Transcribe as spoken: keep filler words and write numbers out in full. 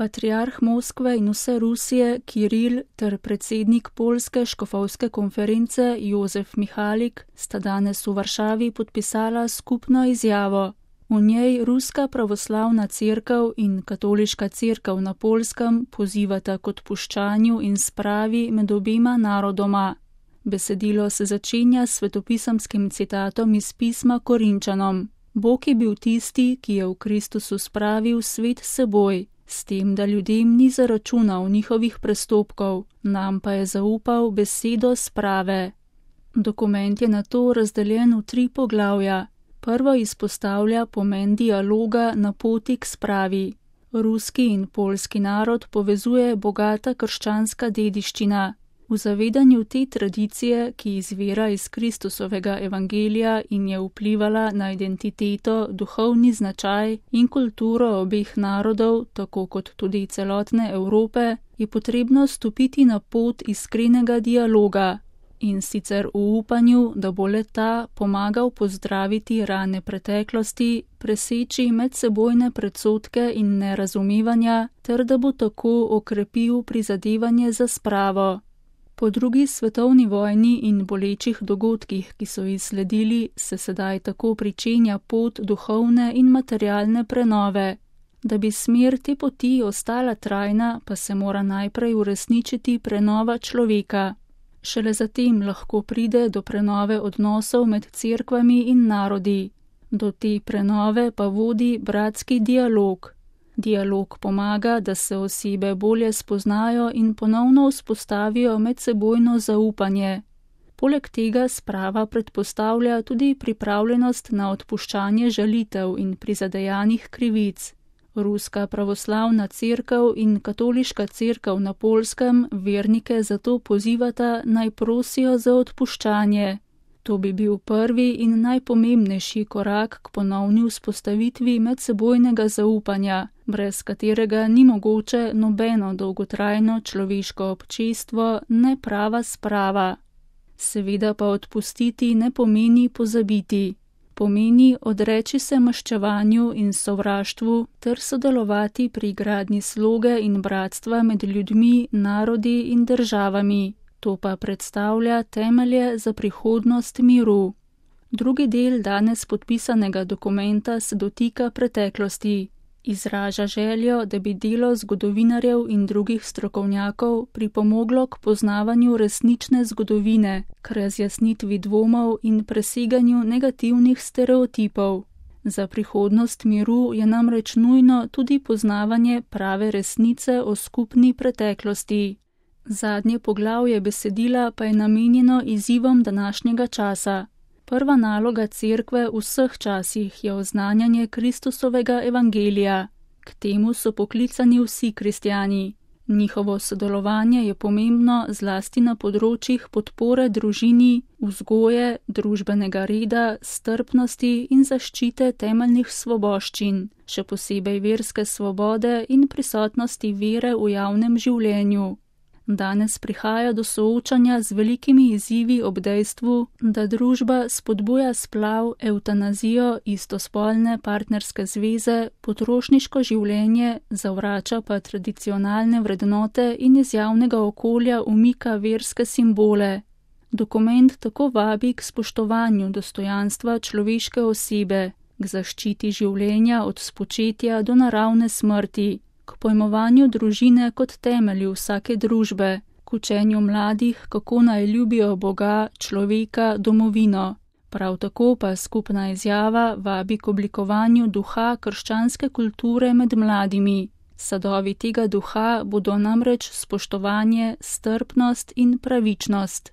Patriarh Moskve in vse Rusije Kiril ter predsednik Poljske škofovske konference Jozef Mihalik sta danes v Varšavi podpisala skupno izjavo. V njej Ruska pravoslavna cerkev in Katoliška cerkev na Poljskem pozivata k odpuščanju in spravi med obema narodoma. Besedilo se začenja s svetopisemskim citatom iz pisma Korinčanom. Bog je bil tisti, ki je v Kristusu spravil svet s seboj, s tem, da ljudem ni zaračunal njihovih prestopkov, nam pa je zaupal besedo sprave. Dokument je nato razdeljen v tri poglavja. Prvo izpostavlja pomen dialoga na poti k spravi. Ruski in poljski narod povezuje bogata krščanska dediščina. V zavedanju te tradicije, ki izvira iz Kristusovega evangelija in je vplivala na identiteto, duhovni značaj in kulturo obeh narodov, tako kot tudi celotne Evrope, je potrebno stopiti na pot iskrenega dialoga, in sicer v upanju, da bo le-ta pomagal pozdraviti rane preteklosti, preseči medsebojne predsodke in nerazumevanja, ter da bo tako okrepil prizadevanje za spravo. Po drugi svetovni vojni in bolečih dogodkih, ki so izsledili, se sedaj tako pričenja pot duhovne in materialne prenove. Da bi smer te poti ostala trajna, pa se mora najprej uresničiti prenova človeka. Šele zatem lahko pride do prenove odnosov med cerkvami in narodi. Do te prenove pa vodi bratski dialog. Dialog pomaga, da se osebe bolje spoznajo in ponovno vzpostavijo medsebojno zaupanje. Poleg tega sprava predpostavlja tudi pripravljenost na odpuščanje žalitev in prizadejanih krivic. Ruska pravoslavna cerkev in Katoliška cerkev na Poljskem vernike zato pozivata naj prosijo za odpuščanje. To bi bil prvi in najpomembnejši korak k ponovni vzpostavitvi medsebojnega zaupanja, brez katerega ni mogoče nobeno dolgotrajno človeško občestvo, ne prava sprava. Seveda pa odpustiti ne pomeni pozabiti. Pomeni odreči se maščevanju in sovraštvu ter sodelovati pri gradnji sloge in bratstva med ljudmi, narodi in državami. To pa predstavlja temelje za prihodnost miru. Drugi del danes podpisanega dokumenta se dotika preteklosti. Izraža željo, da bi delo zgodovinarjev in drugih strokovnjakov pripomoglo k poznavanju resnične zgodovine, k razjasnitvi dvomov in preseganju negativnih stereotipov. Za prihodnost miru je namreč nujno tudi poznavanje prave resnice o skupni preteklosti. Zadnje poglavje besedila pa je namenjeno izzivom današnjega časa. Prva naloga cerkve v vseh časih je oznanjanje Kristusovega evangelija. K temu so poklicani vsi kristjani. Njihovo sodelovanje je pomembno zlasti na področjih podpore družini, vzgoje, družbenega reda, strpnosti in zaščite temeljnih svoboščin, še posebej verske svobode in prisotnosti vere v javnem življenju. Danes prihaja do soočanja z velikimi izzivi ob dejstvu, da družba spodbuja splav, evtanazijo, istospolne partnerske zveze, potrošniško življenje, zavrača pa tradicionalne vrednote in iz javnega okolja umika verske simbole. Dokument tako vabi k spoštovanju dostojanstva človeške osebe, k zaščiti življenja od spočetja do naravne smrti, k pojmovanju družine kot temelju vsake družbe, k učenju mladih, kako naj ljubijo Boga, človeka, domovino. Prav tako pa skupna izjava vabi k oblikovanju duha krščanske kulture med mladimi. Sadovi tega duha bodo namreč spoštovanje, strpnost in pravičnost.